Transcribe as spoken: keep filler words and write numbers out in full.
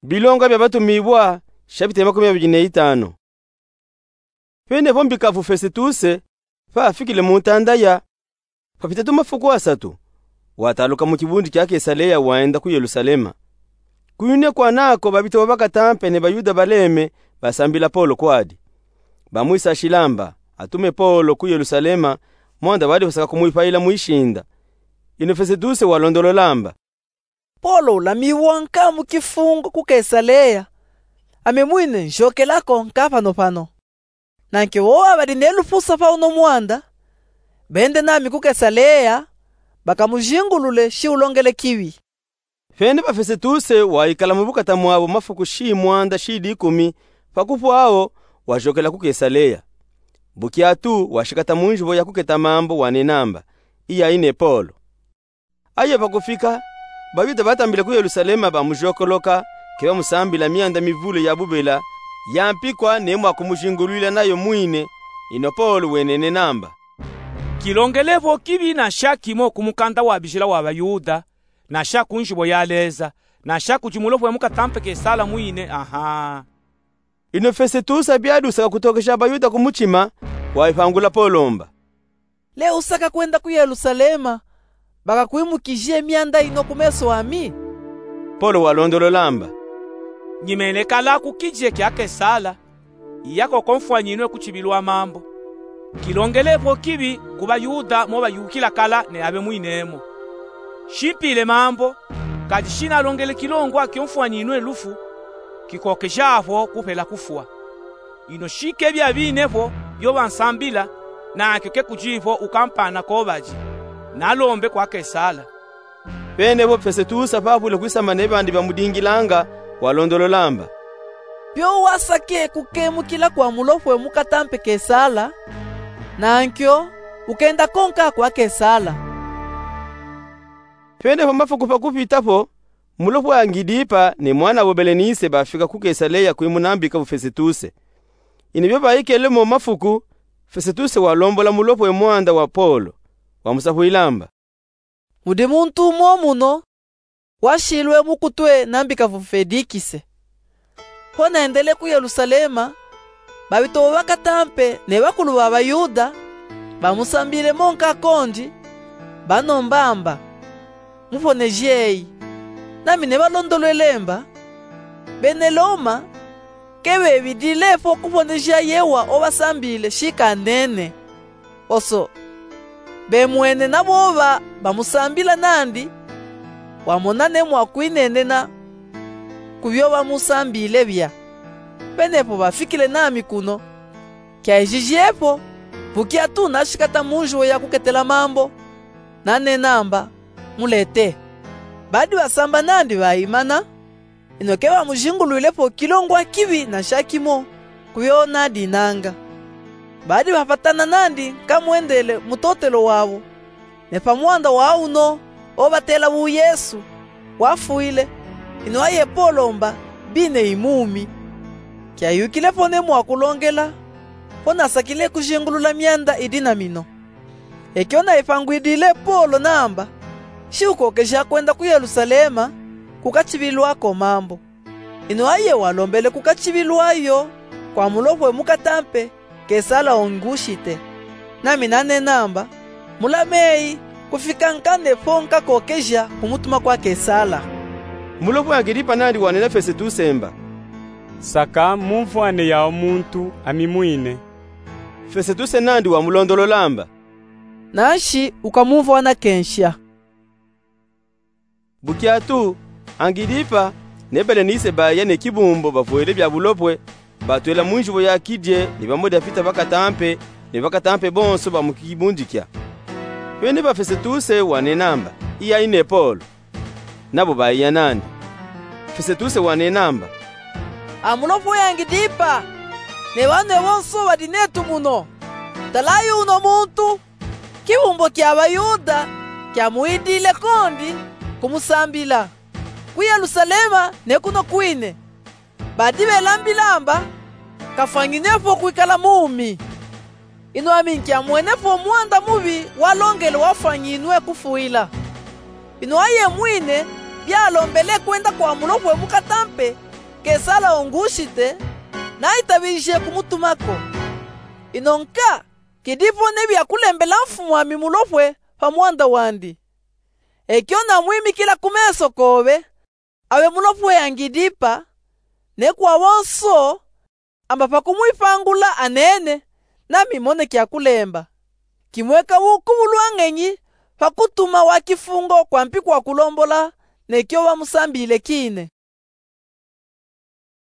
Bilonga bia Batumibwa, shapita ya makumi abili na itanu. Pene po mbikavu Fesetuse, pa afikile mu ntanda ya, papita tumafuku asatu, wataluka mu kibundi kia Kesaleya wenda ku Yelusalema. Kuyune kwana ko babito ba bakatampe ne Bayuda baleme basambila Polo kwadi. Bamwisashila mba atume Polo ku Yelusalema, mwanda badi basaka kumwipayila mwishinda. Ino Fesetuse walondolola mba: Polo ulamiwanga mu kifungo ku Kesaleya, ami mwine nzyokela ko nka panopano. Na nkyo wowa badi ne lufusa pa uno mwanda, bende nami ku Kesaleya, bakamuzingulule shi ulongele kibi. Pene pa Fesetuse waikala mu bukata mwabo mafuku shi mwanda shi dikumi, pa kupwa wo wazyokela ku Kesaleya. Bukyatu washikata mu nzibo ya kuketa mambu wanena mba: Iyayi ne Polo. Aye pa kufika, Bayuda batambile ku Yelusalema bamuzyokoloka, ke bamusambila myanda mivule ya bubela, ya mpikwa ne mwa kumuzingulwila nayo mwine. Ino Polo wenenena mba: Kilongele vo kibi na sha kimo ku mukanda wa bizila wa Bayuda, na sha ku nzibo ya Leza, na sha kudi mulopwe mukatampe Kesala mwine, aha. Ino Fesetuse biadi usaka kutokeja Bayuda ku mutima, waipangula Polo mba: Le usaka kwenda ku Yelusalema, bakakwimukije myanda ino ku meso ami? Polo walondolola mba: Nyimene kala ku kidie kia Kesala, iya ko ko mfwanyinwe ku tibilwa mambu. Kilongele vo kibi ku Bayuda mo bayukila kala ne abe mwine mo. Shi mpile mambu, kadi shi nalongele kilongo kio mfwanyinwe lufu, kikokeja vo kupela kufwa. Ino shi ke bia bine vo bio bansambila, na nkyo ke kudi vo ukampana ko badi, nalombe kwa Kesala. Pene po Fesetuse pa pwile kwisamba ne bandi bamudingilanga, walondolola mba: Bio wasake kukemukila kwa mulopwe mukatampe Kesala, na nkyo ukenda ko nka kwa Kesala. Pene po mafuku pa kupita po, mulopwe Angidipa ne mwana'bo Belenise bafika ku Kesaleya kwimuna mbikavu Fesetuse. Ino bio baikele mo mafuku, Fesetuse walombola mulopwe mwanda wa Polo, wamusapwila mba: Mudi muntu umo muno, washilwe mukutwe na mbikavu Felikise. Ho naendele ku Yelusalema, babito bakatampe ne bakulu ba Bayuda bamusambile mo nka kondi, banomba mba: Muponejeyi. Nami nebalondolwele mba: Bene Loma ke bebidile po kuponeja yewa obasambile shi kanene. Oso, bemwene naboba bamusambila nandi, wamona ne mwakwinenena ku bio bamusambile bia. Pene po bafikile nami kuno, kyaijije po, bukyatu nashikata mu nzibo ya kuketela mambu, nanena mba: Mulete. Badi basamba nandi baimana, ino ke bamuzingulwile po kilongo kibi na sha kimo ku bio nadinanga. Badi bapatana nandi nkamwendele mutotelo wabo, ne pa mwanda wa uno obatela bu Yesu wafwile, ino aye Polo mba bine imumi. Kyayukile po ne mwakulongela, po nasakile kuzingulula myanda idi na mino. Ekyo naipangwidile Polo namba, shi ukokeja kwenda ku Yelusalema kukatibilwa ko mambu. Ino aye walombele kukatibilwa yo kwa mulopwe mukatampe Kesala Ongusite. Nami nanena mba, mulameyi kufika nkane po nkakokeja kumutuma kwa Kesala. Mulopwe Angilipa nandi wanena Fesetuse mba, saka mumvwane yawu muntu ami mwine. Fesetuse nandi wamulondolola mba, nanshi ukamumvwana kensha. Bukyatu, Angilipa ne Belenise baya ne kibumbo bavwele bya bulopwe, batwela mu nzibo ya kidie ni bamo dafita bakatampe, ne bakatampe bonso ba mu kibundikya. Pene pa Fesetuse wanena mba, iya ine Polo. Nabo baya nandi. Fesetuse wanena mba, a mulopwe Angilipa, ne banwe bonso badi netu muno. Talayi uno muntu, kibumbo kya Bayuda kyamwidile kondi kumusambila ku Yelusalema ne kuno kwine. Badi belambila mba kafwanginwe po kwikala mumi. Ino ami nkyamwene po mwanda mubi walongele wafwanginwe kufwila. Ino aye mwine byalombele kwenda kwa mulopwe mukatampe Kesala Ongusite nayitabilishe kumutuma ko. Ino nka kidi po nebi akulembela mfumu ami mulopwe pa mwanda wandi. Ekio namwimikila kumeso kobe, abe mulopwe Angilipa, ne kwa bonso amba pa kumwipangula anene, nami moneki akulemba. Kimweka bukubu bwa ngenyi pa kutuma wa kifungo kwampi kwa kulombola nekio bamusambile kine.